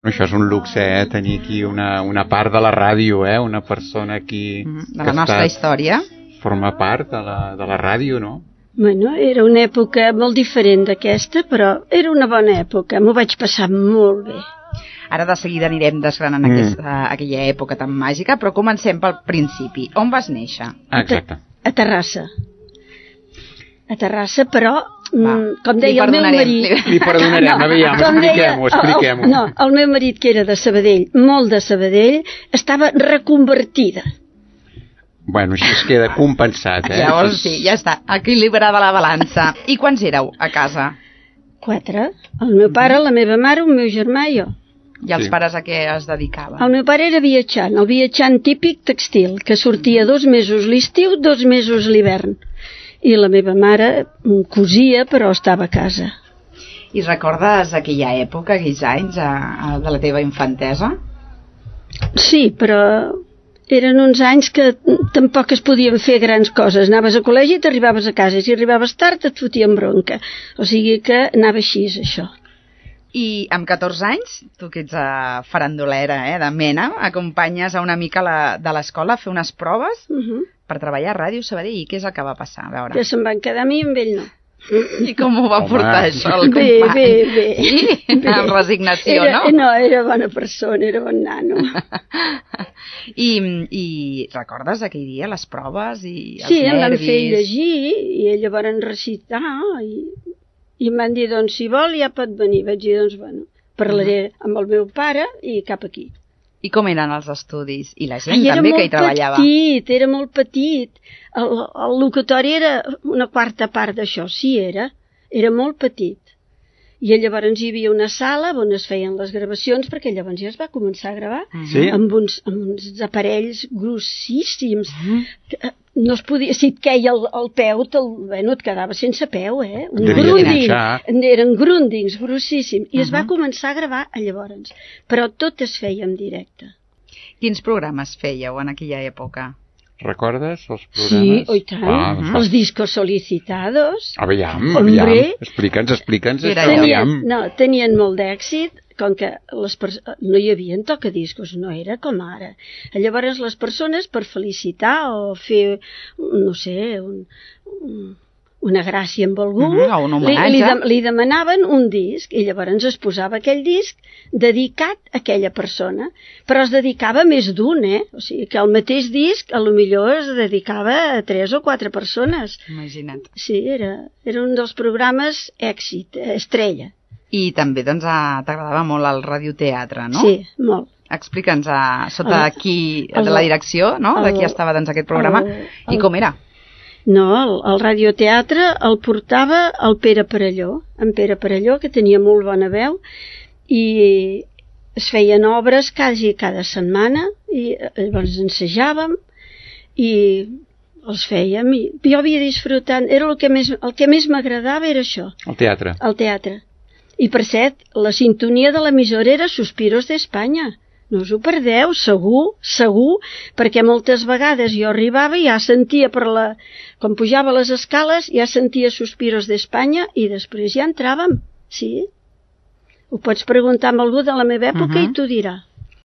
Això és un luxe, tenir aquí una part de la ràdio, una persona aquí... De la nostra història. Forma part de la ràdio, no? Bueno, era una època molt diferent d'aquesta, però era una bona època, m'ho vaig passar molt bé. Ara de seguida anirem desgranant aquella època tan màgica, però comencem pel principi. On vas néixer? Exacte. A Terrassa. A Terrassa, però, com deia el meu marit... Li perdonarem, aviam, expliquem-ho. No, el meu marit, que era de Sabadell, molt de Sabadell, estava reconvertida. Bueno, així es queda compensat, Llavors sí, ja està, equilibrada la balança. I quants éreu a casa? 4. El meu pare, la meva mare, el meu germà i jo. I els pares a què es dedicaven? El meu pare era viatjant, el viatjant típic textil, que sortia 2 mesos l'estiu, 2 mesos l'hivern. I la meva mare cosia, però estava a casa. I recordes aquella època, aquells anys de la teva infantesa? Sí, però eren uns anys que tampoc es podien fer grans coses. Anaves a col·legi i t'arribaves a casa, i si arribaves tard et fotien bronca. O sigui que anava així, això. I amb 14 anys, tu que ets farandolera, de mena, acompanyes a una amica de l'escola a fer unes proves per treballar a Ràdio Sabadell. I què és el que va passar? A veure. Que se'n van quedar a mi i amb ell no. I com ho va portar això el company? Bé. Sí? Amb resignació, no? No, era bona persona, era bon nano. I recordes aquell dia les proves i els nervis? Sí, em van fer llegir i ella van recitar i em van dir, doncs, si vol ja pot venir. Vaig dir, doncs, bueno, parlaré amb el meu pare i cap aquí. I com eren els estudis? I la gent també que hi treballava? Era molt petit. El locutori era una quarta part d'això, sí era molt petit. I llavors hi havia una sala on es feien les gravacions, perquè llavors ja es va començar a gravar amb uns aparells grossíssims. No es podia, si et queia el peu, et quedava sense peu, un grunding. Eren grundings grossíssims. I es va començar a gravar llavors. Però tot es feia en directe. Quins programes fèieu en aquella època? Recordes els programes? Sí, i tant. Els discos solicitados. Aviam. Explica'ns. Tenien molt d'èxit, com que no hi havia tocadiscos, no era com ara. Llavors les persones, per felicitar o fer, no sé, una gràcia amb algú, li demanaven un disc, i llavors es posava aquell disc dedicat a aquella persona, però es dedicava a més d'un, o sigui que el mateix disc a lo millor es dedicava a 3 o 4 persones. Imagina't. Sí, era un dels programes èxit, estrella. I també doncs t'agradava molt el radioteatre, no? Sí, molt. Explica'ns sota de la direcció, no? De qui estava doncs aquest programa i com era? No, el radioteatre el portava el Pere Perelló, en Pere Perelló, que tenia molt bona veu, i es feien obres quasi cada setmana, i llavors ensejàvem, i els fèiem, i jo havia disfrutat, era el que més m'agradava era això. El teatre. El teatre. I per cert, la sintonia de l'emissora era Suspiros d'Espanya. No us ho perdeu, segur, perquè moltes vegades jo arribava i ja sentia quan pujava les escales, ja sentia Suspiros d'Espanya i després ja entràvem, sí. Ho pots preguntar amb algú de la meva època i t'ho dirà.